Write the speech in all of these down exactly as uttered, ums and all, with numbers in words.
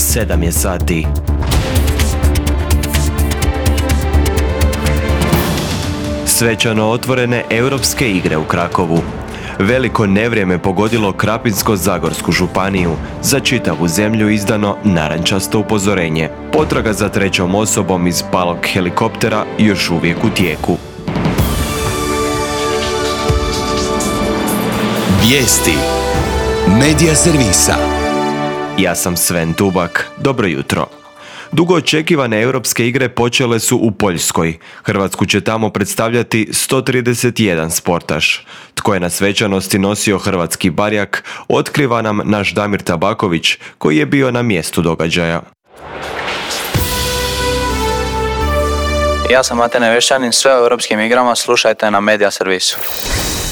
sedam je sati. Svečano otvorene Europske igre u Krakovu. Veliko nevrijeme pogodilo Krapinsko-zagorsku županiju. Za čitavu zemlju izdano narančasto upozorenje. Potraga za trećom osobom iz palog helikoptera još uvijek u tijeku. Vijesti Medija servisa. Ja sam Sven Tubak. Dobro jutro. Dugo očekivane Europske igre počele su u Poljskoj. Hrvatsku će tamo predstavljati sto trideset jedan sportaš. Tko je na svečanosti nosio hrvatski barjak, otkriva nam naš Damir Tabaković, koji je bio na mjestu događaja. Ja sam Mate Nevešćanin, sve o Europskim igrama slušajte na Medija servisu.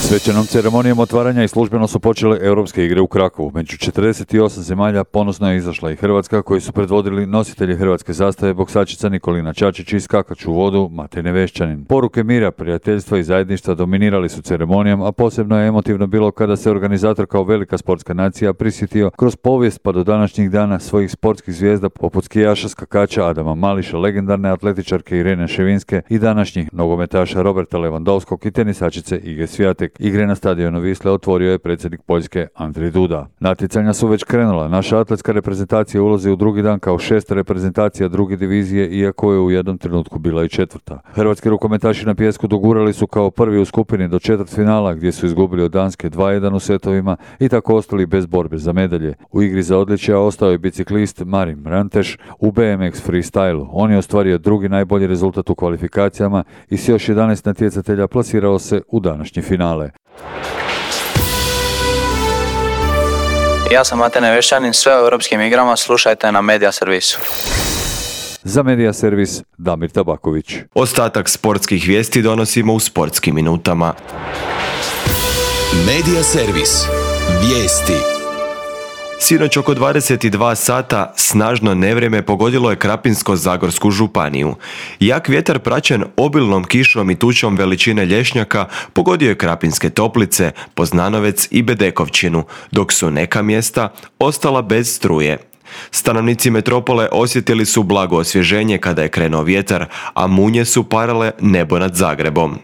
Svečanom ceremonijom otvaranja i službeno su počele Europske igre u Krakovu. Među četrdeset osam zemalja ponosno je izašla i Hrvatska, koji su predvodili nositelji hrvatske zastave, boksačica Nikolina Čačić i skakač u vodu Mate Nevešćanin. Poruke mira, prijateljstva i zajedništva dominirali su ceremonijom, a posebno je emotivno bilo kada se organizator kao velika sportska nacija prisjetio kroz povijest pa do današnjih dana svojih sportskih zvijezda poput skijaša, skakača Adama Mališa, legendarne atletičarke Irene Ševinske i današnjih nogometaša Roberta Lewandowskog i tenisačice Ige Swiatek. Igre na stadionu Wisle otvorio je predsjednik Poljske Andrzej Duda. Natjecanja su već krenula. Naša atletska reprezentacija ulazi u drugi dan kao šesta reprezentacija druge divizije, iako je u jednom trenutku bila i četvrta. Hrvatski rukometaši na pijesku dogurali su kao prvi u skupini do četvrtfinala, gdje su izgubili od Danske dva jedan u setovima i tako ostali bez borbe za medalje. U igri za odličja ostao je biciklist Marin Branteš u B M X freestylu. On je ostvario drugi najbolji rezultat u kvalifikacijama i s još jedanaest natjecatelja plasirao se u današnje finale. Ja sam Mate Nevešćanin, sve o Europskim igrama slušajte na Medija servisu. Za Medija servis Damir Tabaković. Ostatak sportskih vijesti donosimo u sportskim minutama. Medija servis. Vijesti. Sinoć oko dvadeset dva sata snažno nevrijeme pogodilo je Krapinsko-zagorsku županiju. Jak vjetar praćen obilnom kišom i tučom veličine lješnjaka pogodio je Krapinske Toplice, Poznanovec i Bedekovčinu, dok su neka mjesta ostala bez struje. Stanovnici metropole osjetili su blago osvježenje kada je krenuo vjetar, a munje su parale nebo nad Zagrebom.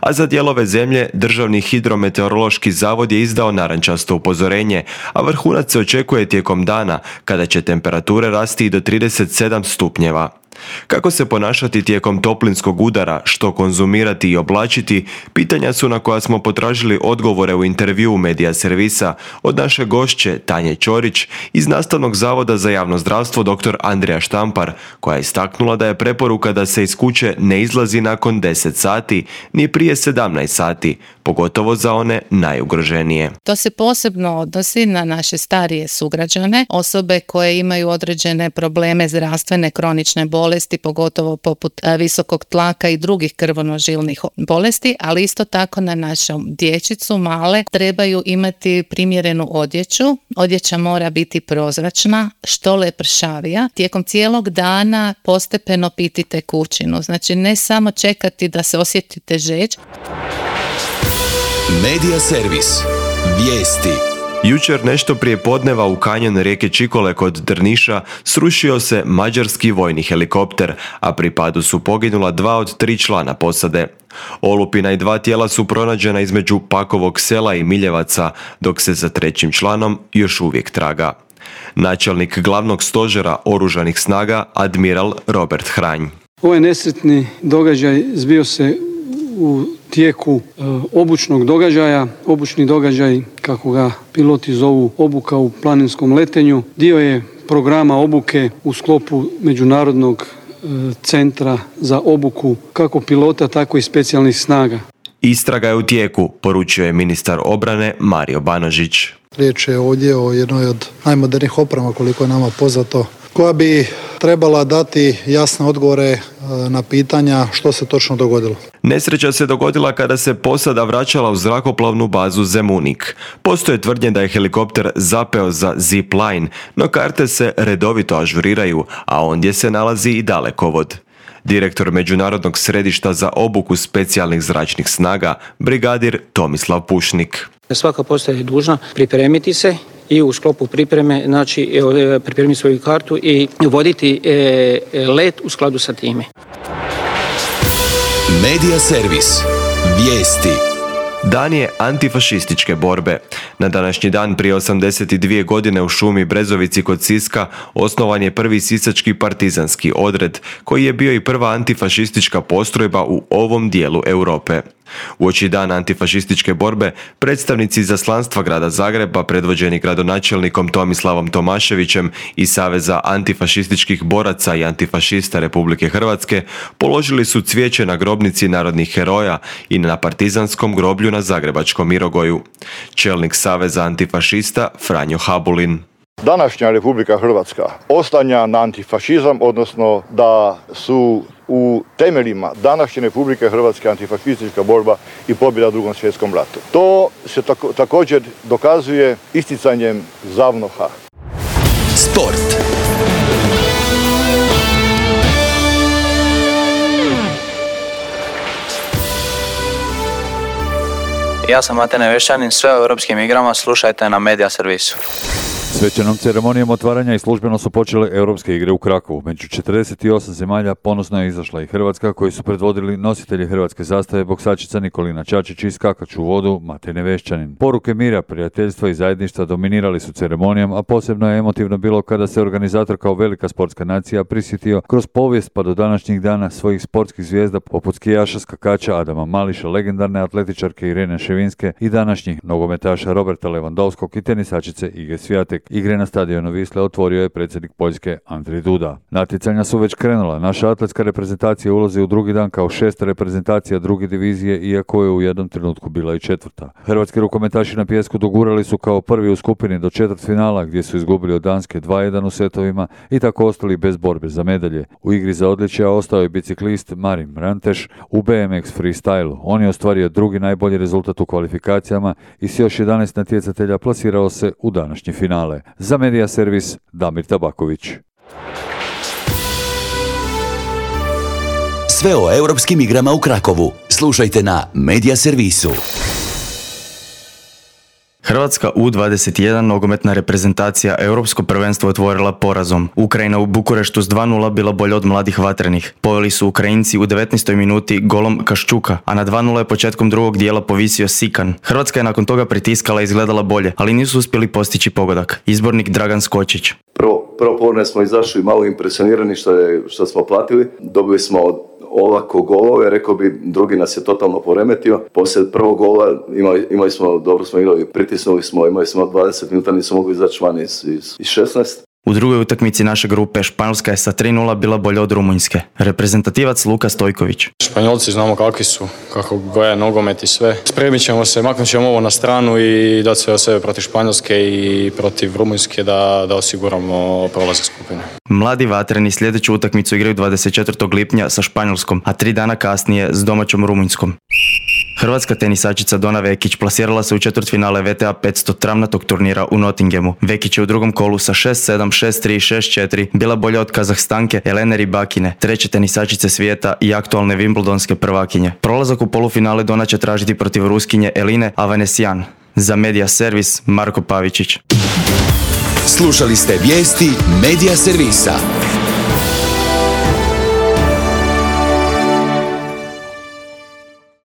A za dijelove zemlje Državni hidrometeorološki zavod je izdao narančasto upozorenje, a vrhunac se očekuje tijekom dana kada će temperature rasti i do trideset sedam stupnjeva. Kako se ponašati tijekom toplinskog udara, što konzumirati i oblačiti, pitanja su na koja smo potražili odgovore u intervjuu Medija servisa od naše gošće Tanje Ćorić iz Nastavnog zavoda za javno zdravstvo dr. Andrija Štampar, koja je istaknula da je preporuka da se iz kuće ne izlazi nakon deset sati ni prije sedamnaest sati, pogotovo za one najugroženije. To se posebno odnosi na naše starije sugrađane, osobe koje imaju određene probleme zdravstvene, kronične bolesti, pogotovo poput visokog tlaka i drugih krvonožilnih bolesti, ali isto tako na našu dječicu male trebaju imati primjerenu odjeću. Odjeća mora biti prozračna, što lepršavija. Tijekom cijelog dana postepeno piti tekućinu, znači ne samo čekati da se osjetite žeđ. Medija servis. Vijesti. Jučer nešto prije podneva u kanjon rijeke Čikole kod Drniša srušio se mađarski vojni helikopter, a pri padu su poginula dva od tri člana posade. Olupina i dva tijela su pronađena između Pakovog sela i Miljevaca, dok se za trećim članom još uvijek traga. Načelnik glavnog stožera oružanih snaga, admiral Robert Hranj. Ovaj nesretni događaj zbio se u tijeku e, obučnog događaja. Obučni događaj, kako ga piloti zovu, obuka u planinskom letenju, dio je programa obuke u sklopu Međunarodnog e, centra za obuku kako pilota, tako i specijalnih snaga. Istraga je u tijeku, poručio je ministar obrane Mario Banožić. Riječ je ovdje o jednoj od najmodernijih oprema, koliko je nama poznato, koja bi trebala dati jasne odgovore na pitanja što se točno dogodilo. Nesreća se dogodila kada se posada vraćala u zrakoplovnu bazu Zemunik. Postoje tvrdnje da je helikopter zapeo za zip line, no karte se redovito ažuriraju, a ondje se nalazi i dalekovod. Direktor Međunarodnog središta za obuku specijalnih zračnih snaga, brigadir Tomislav Pušnik. Svaka postaja je dužna pripremiti se i u sklopu pripreme, znači pripremiti svoju kartu i voditi let u skladu sa time. Medija servis. Vijesti. Dan je antifašističke borbe. Na današnji dan prije osamdeset dvije godine u šumi Brezovici kod Siska osnovan je prvi sisački partizanski odred, koji je bio i prva antifašistička postrojba u ovom dijelu Europe. Uoči dana antifašističke borbe, predstavnici izaslanstva grada Zagreba, predvođeni gradonačelnikom Tomislavom Tomaševićem i Saveza antifašističkih boraca i antifašista Republike Hrvatske, položili su cvijeće na grobnici narodnih heroja i na partizanskom groblju na Zagrebačkom Mirogoju. Čelnik Saveza antifašista Franjo Habulin. Današnja Republika Hrvatska oslanja na antifašizam, odnosno da su u temeljima današnje Republike Hrvatske antifašistička borba i pobjeda u Drugom svjetskom ratu. To se tako, također dokazuje isticanjem ZAVNOH-a. Sport. Ja sam Matene Vešćanin, sve o europskim igrama slušajte na Medija servisu. Svečanom ceremonijom otvaranja i službeno su počele europske igre u Krakovu. Među četrdeset osam zemalja ponosno je izašla i Hrvatska, koji su predvodili nositelji hrvatske zastave boksačica Nikolina Čačić i skakač u vodu Matej Nevešćanin. Poruke mira, prijateljstva i zajedništva dominirali su ceremonijom, a posebno je emotivno bilo kada se organizator kao velika sportska nacija prisjetio kroz povijest pa do današnjih dana svojih sportskih zvijezda poput skijaša, skakača Adama Mališa, legendarne atletičarke Irene Ševinske i današnjih nogometaša Roberta Lewandowskog i tenisačice Ige Swiatek. Igre na stadionu Wisle otvorio je predsjednik Poljske Andrzej Duda. Natjecanja su već krenula. Naša atletska reprezentacija ulazi u drugi dan kao šesta reprezentacija druge divizije, iako je u jednom trenutku bila i četvrta. Hrvatski rukometaši na pijesku dogurali su kao prvi u skupini do četvrtfinala, gdje su izgubili od Danske dva jedan u setovima i tako ostali bez borbe za medalje. U igri za odličja ostao je biciklist Marin Ranteš u B M X freestylu. On je ostvario drugi najbolji rezultat u kvalifikacijama i s još jedanaest natjecatelja plasirao se u današnje finale. Za Medija servis Damir Tabaković. Sve o europskim igrama u Krakovu slušajte na Medija servisu. Hrvatska U dvadeset jedan nogometna reprezentacija europsko prvenstvo otvorila porazom. Ukrajina u Bukureštu s dva nula bila bolja od mladih vatrenih. Poveli su Ukrajinci u devetnaestoj minuti golom Kaščuka, a na dva nula je početkom drugog dijela povisio Sikan. Hrvatska je nakon toga pritiskala i izgledala bolje, ali nisu uspjeli postići pogodak. Izbornik Dragan Skočić. Prvo, prvo polovine smo izašli malo impresionirani što, je, što smo platili. Dobili smo ovako golove, rekao bi, drugi nas je totalno poremetio. Poslije prvog gola imali, imali smo, dobro smo igrali, pritisnuli smo, imali smo dvadeset minuta, nismo mogli izaći van iz, iz, iz šesnaest. U drugoj utakmici naše grupe Španjolska je sa tri nula bila bolja od Rumunjske. Reprezentativac Luka Stojković. Španjolci znamo kakvi su, kako gledaju nogomet i sve. Spremit ćemo se, maknut ćemo ovo na stranu i dati sve od sebe protiv Španjolske i protiv Rumunjske da, da osiguramo prolazak skupine. Mladi vatreni sljedeću utakmicu igraju dvadeset četvrtog lipnja sa Španjolskom, a tri dana kasnije s domaćom Rumunjskom. Hrvatska tenisačica Dona Vekić plasirala se u četvrtfinale V T A petsto travnatog turnira u Nottinghamu. Vekić je u drugom kolu sa šest sedam, šest tri, šest četiri bila bolja od Kazahstanke Elene Rybakine, treće tenisačice svijeta i aktualne Wimbledonske prvakinje. Prolazak u polufinale Dona će tražiti protiv Ruskinje Eline Avanesyan. Za Medija servis Marko Pavičić. Slušali ste vijesti Medija servisa.